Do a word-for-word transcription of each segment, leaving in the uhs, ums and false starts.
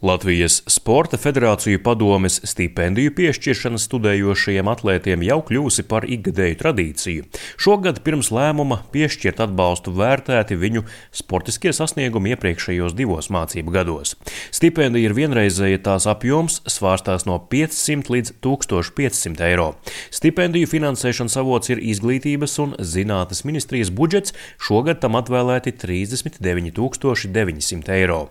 Latvijas Sporta federāciju padomes stipendiju piešķiršana studējošajiem atlētiem jau kļūsi par ikgadēju tradīciju. Šogad pirms lēmuma piešķirt atbalstu vērtēti viņu sportiskie sasniegumi iepriekšējos divos mācību gados. Stipendija ir vienreizēja, tās apjoms svārstās no piecsimt līdz tūkstoš piecsimt eiro. Stipendiju finansēšanas avots ir Izglītības un zinātnes ministrijas budžets, šogad tam atvēlēti trīsdesmit deviņi tūkstoši deviņi simti eiro.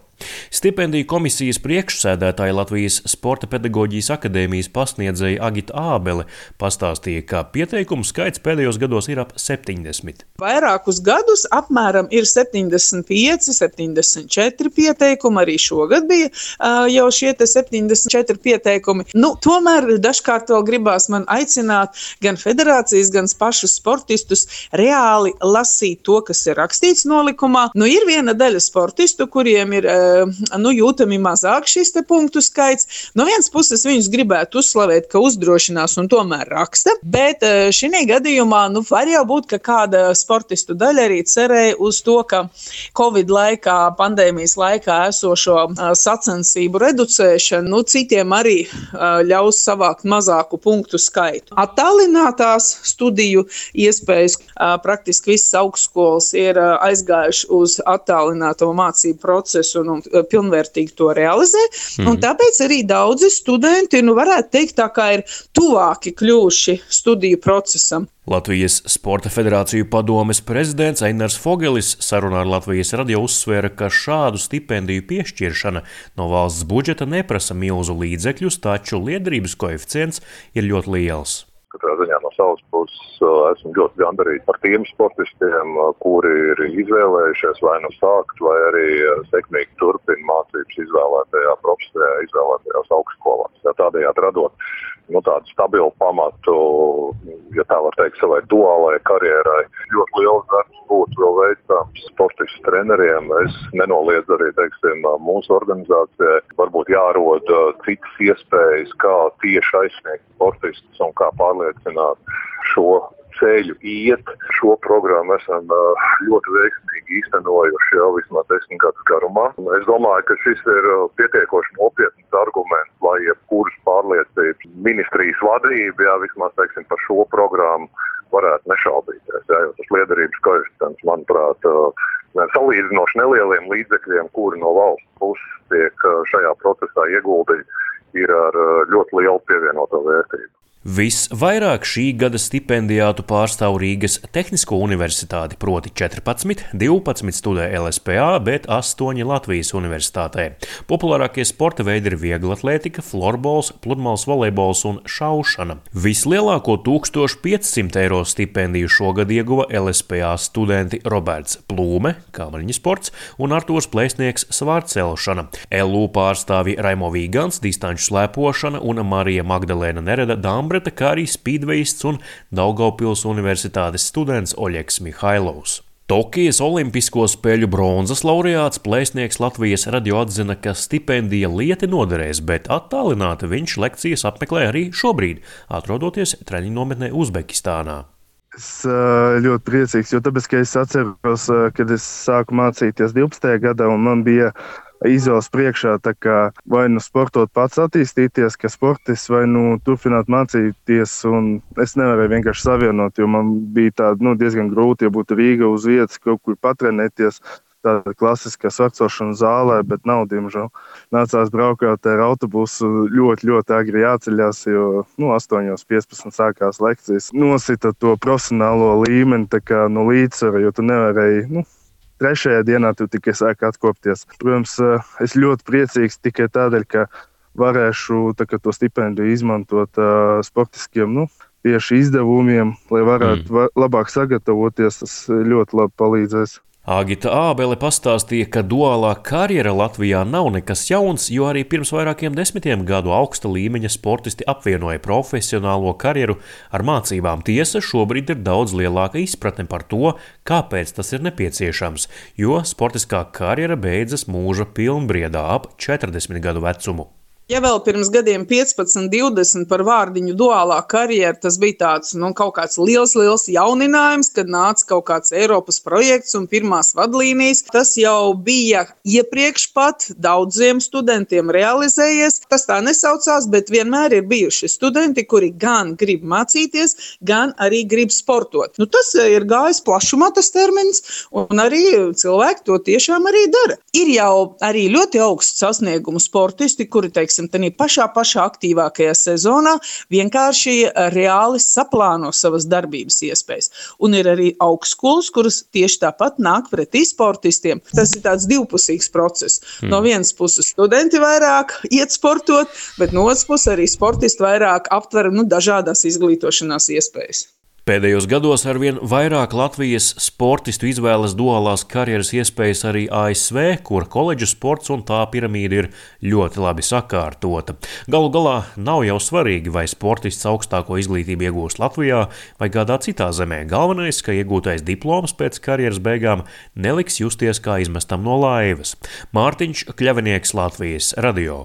Stipendiju komisijas priekšsēdētāja Latvijas Sporta pedagoģijas akadēmijas pasniedzēja Agita Ābele pastāstīja, ka pieteikumu skaits pēdējos gados ir ap septiņdesmit. Vairākus gadus apmēram ir septiņdesmit pieci, septiņdesmit četri pieteikumi, arī šogad bija uh, jau šie te septiņdesmit četri pieteikumi. Nu, tomēr dažkārt vēl gribās man aicināt gan federācijas, gan pašus sportistus reāli lasīt to, kas ir rakstīts nolikumā. Nu, ir viena daļa sportistu, kuriem ir uh, nu, jūtami mazāk šis te punktu skaits. No vienas puses viņus gribētu uzslavēt, ka uzdrošinās un tomēr raksta, bet šī gadījumā nu, var jau būt, ka kāda sportistu daļa arī cerēja uz to, ka Covid laikā, pandēmijas laikā esošo sacensību reducēšana, nu, citiem arī ļaus savākt mazāku punktu skaitu. Attālinātās studiju iespējas praktiski visas augstskolas ir aizgājuši uz attālināto mācību procesu un pilnvērtīgi to realizē, mm. un tāpēc arī daudzi studenti, nu varētu teikt, tā kā ir tuvāki kļuvuši studiju procesam. Latvijas Sporta federāciju padomes prezidents Einars Fogelis sarunā ar Latvijas radio uzsvēra, ka šādu stipendiju piešķiršana no valsts budžeta neprasa milzu līdzekļus, taču liederības koeficients ir ļoti liels. Katrā ziņā no savas puses esmu ļoti gandarīts par tiem sportistiem, kuri ir izvēlējušies vai nu sākt, vai arī sekmīgi turpina mācības izvēlētajā profesijā, izvēlētajās augstskolās. Tādējādi radot nu, tādu stabilu pamatu, ja tā var teikt, savai duālajai karjerai. Ļoti liels darbs būtu vēl veicams sportistu treneriem. Es nenoliedzu arī, teiksim, mūsu organizācijai. Varbūt jārod citas iespējas, kā tieši aizsniegt sportistus un kā pārliecināt šo ceļu iet. Šo programmu esam ļoti veiksmīgi īstenojuši jau vismaz desmit gadus garumā. Es domāju, ka šis ir pietiekoši nopietns arguments, lai jebkuras pārliecības ministrijas vadība, jā, vismaz, teiksim, par šo programmu varētu nešaubīties. Jā, jo tas liederības koeficients, manuprāt, salīdzinoši nelieliem līdzekļiem, kuri no valsts puses tiek šajā procesā ieguldīti, ir ar ļoti lielu pievienoto vērtību. Visvairāk šī gada stipendijātu pārstāv Rīgas Tehnisko universitāti, proti četrpadsmit, divpadsmit studē L S P A, bet astoņi Latvijas universitātē. Populārākie sporta veidi ir vieglatlētika, florbols, pludmales volejbols un šaušana. Vislielāko tūkstoš piecsimt eiro stipendiju šogad ieguva L S P A studenti Roberts Plūme, kāmaļņu sports, un Artūrs Plēsnieks svārcelšana. L U pārstāvji Raimo Vīgants, distanču slēpošana un Marija Magdalēna Nereda Dāmbreta, kā arī spīdveists un Daugavpils universitātes students Oļegs Mihailovs. Tokijas olimpisko spēļu bronzas laureāts Plēsnieks Latvijas radio atzina, ka stipendija lieti noderēs, bet attālināti viņš lekcijas apmeklē arī šobrīd, atrodoties treniņu nometnē Uzbekistānā. Es ļoti priecīgs, jo tāpēc, ka es atceros, kad es sāku mācīties divpadsmitajā gadā un man bija izvēles priekšā, tā kā vai nu sportot pats attīstīties, ka sportists, vai nu turpināt mācīties, un es nevarēju vienkārši savienot, jo man bija tāda, nu, diezgan grūti, ja būtu Rīga uz vietas, kaut kur patrenēties, tāda klasiskā svarcošana zālē, bet nav, diemžēl. Nācās braukāt ar autobusu, ļoti, ļoti agri jāceļās, jo, nu, astoņos piecpadsmit sākās lekcijas. Nosita to profesionālo līmeni, tā kā, nu, līdzsvaru, jo tu nevarēji, nu, trešajā dienā tu tikai sāk atkopties. Protams, es ļoti priecīgs tikai tādēļ, ka varēšu tā, ka to stipendiju izmantot uh, sportiskiem, nu, tieši izdevumiem, lai varētu mm. labāk sagatavoties, tas ļoti labi palīdzēs. Agita Ābele pastāstīja, ka duālā karjera Latvijā nav nekas jauns, jo arī pirms vairākiem desmitiem gadu augsta līmeņa sportisti apvienoja profesionālo karjeru ar mācībām. Tiesa, šobrīd ir daudz lielāka izpratne par to, kāpēc tas ir nepieciešams, jo sportiskā karjera beidzas mūža pilnbriedā ap četrdesmit gadu vecumu. Ja vēl pirms gadiem piecpadsmit, divdesmit par vārdiņu duālā karjera, tas bija tāds, nu, kaut kāds liels, liels jauninājums, kad nāca kaut kāds Eiropas projekts un pirmās vadlīnijas. Tas jau bija iepriekš pat daudziem studentiem realizējies. Tas tā nesaucās, bet vienmēr ir bijuši studenti, kuri gan grib mācīties, gan arī grib sportot. Nu, tas ir gājis plašumā tas termins, un arī cilvēki to tiešām arī dara. Ir jau arī ļoti augsts sasniegumu sportisti, kuri, teiksim, tādā pašā, pašā aktīvākajā sezonā vienkārši reāli saplāno savas darbības iespējas. Un ir arī augstskolas, kuras tieši tāpat nāk pretī sportistiem. Tas ir tāds divpusīgs process. Hmm. No vienas puses studenti vairāk iet sportot, bet no otras puses arī sportisti vairāk aptver nu, dažādās izglītošanās iespējas. Pēdējos gados arvien vairāk Latvijas sportistu izvēlas duālās karjeras iespējas arī A S V, kur koledžu sports un tā piramīda ir ļoti labi sakārtota. Galu galā nav jau svarīgi, vai sportists augstāko izglītību iegūst Latvijā vai kādā citā zemē. Galvenais, ka iegūtais diploms pēc karjeras beigām neliks justies kā izmestam no laivas. Mārtiņš Kļavinieks, Latvijas radio.